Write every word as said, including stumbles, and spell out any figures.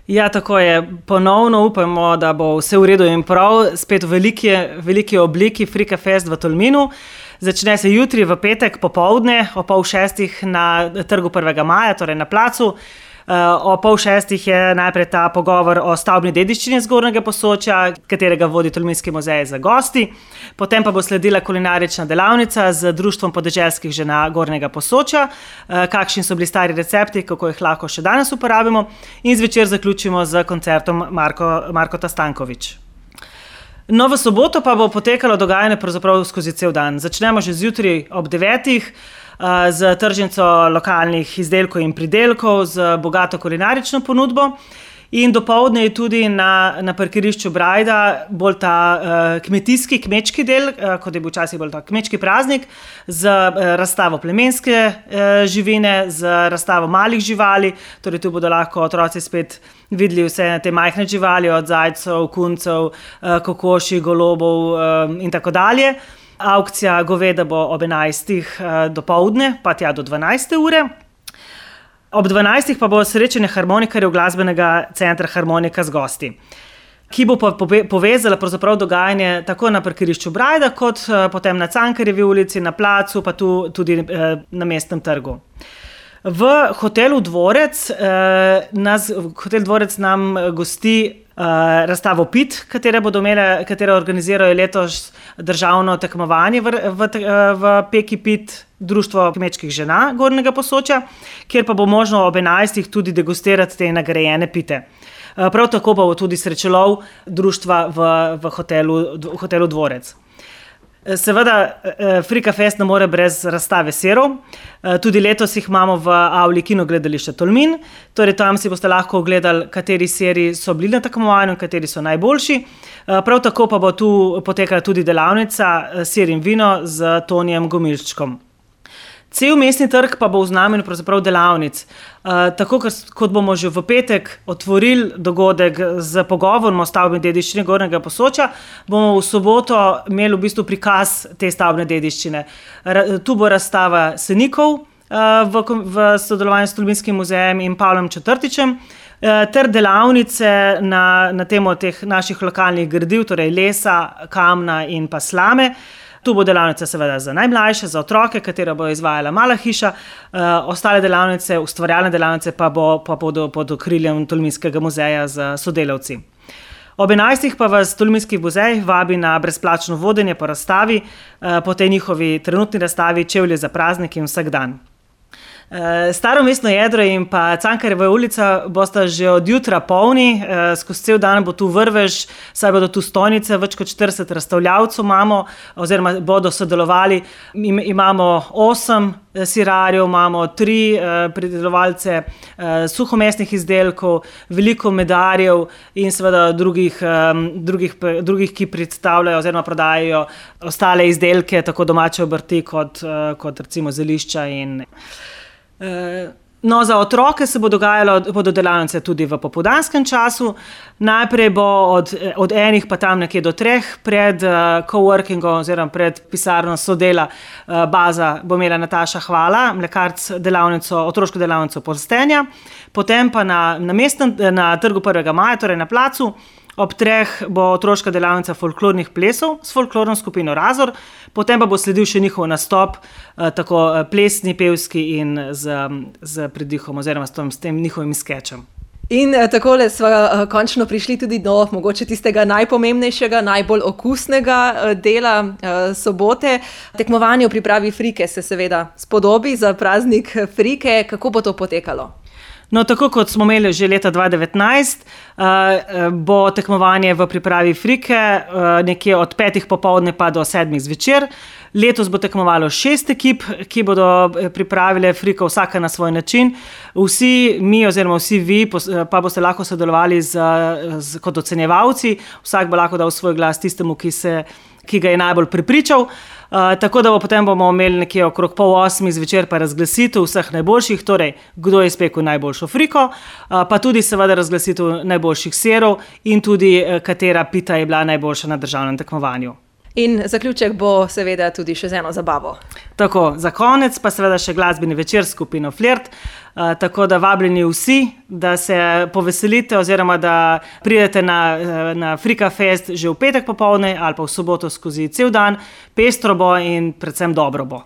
Ja, tako je. Ponovno upamo, da bo vse v redu in prav, spet v veliki, veliki obliki Frika Fest v Tolminu. Začne se jutri v petek popoldne o pol šestih na trgu prvega maja, torej na placu. O pol šestih je najprej ta pogovor o stavbni dediščini Zgornjega Posočja, katerega vodi Tolminski muzej za gosti. Potem pa bo sledila kulinarična delavnica z Društvom podeželskih žena Gornjega Posočja, kakšni so bili stari recepti, kako jih lahko še danes uporabimo, in zvečer zaključimo z koncertom Marko, Markota Stanković. No, v soboto pa bo potekalo dogajanje pravzaprav skozi cel dan. Začnemo že zjutraj ob devetih, z tržnico lokalnih izdelkov in pridelkov, z bogato kulinarično ponudbo, in dopoldne je tudi na, na parkirišču Brajda bolj ta uh, kmetijski, kmečki del, uh, kot je bil včasih bolj ta kmečki praznik, z uh, razstavo plemenske uh, živine, z razstavo malih živali, torej tu bodo lahko otroci spet videli vse te majhne živali, od zajcev, kuncev, uh, kokoši, golobov uh, in tako dalje. Aukcija goveda bo ob enajstih dopoldne, pa tja do dvanajste ure. Ob dvanajstih pa bo srečanje harmonikarjev glasbenega centra Harmonika z gosti, ki bo pa povezala pravzaprav dogajanje tako na parkirišču Brajda, kot potem na Cankarjevi ulici, na placu, pa tu, tudi na Mestnem trgu. V hotelu Dvorec, nas, hotel Dvorec nam gosti Uh, razstavo Pit, katere bodo imele, katere organizirajo letos državno tekmovanje v, v, v Peki Pit, Društvo kmečkih žena Gornjega Posočja, kjer pa bo možno ob enajstih tudi degustirati te nagrajene pite. Uh, prav tako pa bo tudi srečelov društva v, v, hotelu, v hotelu Dvorec. Seveda, Frika Fest ne more brez razstave serov. Tudi letos jih imamo v avli Kinogledališča Tolmin, torej tam si boste lahko ogledali, kateri seri so bili na tekmovanju, kateri so najboljši. Prav tako pa bo tu potekala tudi delavnica Ser in vino z Tonijem Gomilčkom. Cel Mestni trg pa bo v znamenju pravzaprav delavnic. Uh, tako kot bomo že v petek otvorili dogodek z pogovorom o stavbni dediščini Gornjega Posočja, bomo v soboto imeli v bistvu prikaz te stavbne dediščine. Ra, tu bo razstava senikov uh, v, v sodelovanju s Tolminskim muzejem in Pavlom Četrtičem, uh, ter delavnice na, na temo teh naših lokalnih gradiv, torej lesa, kamna in pa slame. Tu bo delavnica seveda za najmlajše, za otroke, katera bo izvajala Mala hiša, uh, ostale delavnice, ustvarjalne delavnice pa, bo, pa bodo pod okriljem Tolminskega muzeja z sodelavci. Ob enajstih pa vas Tolminski muzej vabi na brezplačno vodenje po razstavi, uh, po tej njihovi trenutni razstavi Čevlje za praznik in vsak dan. Staro mestno jedro in pa Cankarjeva ulica bosta že od jutra polni, skozi cel dan bo tu vrvež, saj bodo tu stojnice, več kot štirideset razstavljavcev imamo, oziroma bodo sodelovali. Imamo osem sirarjev, imamo tri pridelovalce suhomesnih izdelkov, veliko medarjev in seveda drugih, drugih, drugih, ki predstavljajo oziroma prodajajo ostale izdelke, tako domače obrti kot, kot recimo zelišča in... No, za otroke se bo dogajalo, bodo delavnice tudi v popoldanskem času. Najprej bo od, od enih pa tam nekje do treh pred uh, coworkingom oziroma pred pisarno Sodela uh, baza bo imela Nataša Hvala, mlekarc delavnico, otroško delavnico polstenja. Potem pa na, na, mestnem, na trgu prvega maja, torej na placu, ob treh bo otroška delavnica folklornih plesov s folklorno skupino Razor, potem pa bo sledil še njihov nastop, eh, tako plesni, pevski in z, z pridihom oziroma s tem, s tem njihovim skečem. In eh, takole smo eh, končno prišli tudi do mogoče tistega najpomembnejšega, najbolj okusnega eh, dela eh, sobote. Tekmovanje v pripravi Frike se seveda spodobi za praznik Frike. Kako bo to potekalo? No, tako kot smo imeli že leta dva devetnajst, uh, bo tekmovanje v pripravi Frike uh, nekje od petih popoldne pa do sedmih zvečer. Letos bo tekmovalo šest ekip, ki bodo pripravile Friko vsaka na svoj način. Vsi mi oziroma vsi vi pa boste lahko sodelovali z, z, kot ocenjevalci. Vsak bo lahko dal svoj glas tistemu, ki, se, ki ga je najbolj prepričal. Uh, tako da bo potem bomo imeli nekje okrog pol osmih zvečer pa razglasitev vseh najboljših, torej kdo je spekel najboljšo Friko, uh, pa tudi seveda razglasitev najboljših serov in tudi uh, katera pita je bila najboljša na državnem tekmovanju. In zaključek bo seveda tudi še z eno zabavo. Tako, za konec pa seveda še glasbeni večer s skupino Flirt, uh, tako da vabljeni vsi, da se poveselite oziroma da pridete na, na Frika Fest že v petek popoldne ali pa v soboto skozi cel dan, pestro bo in predvsem dobro bo.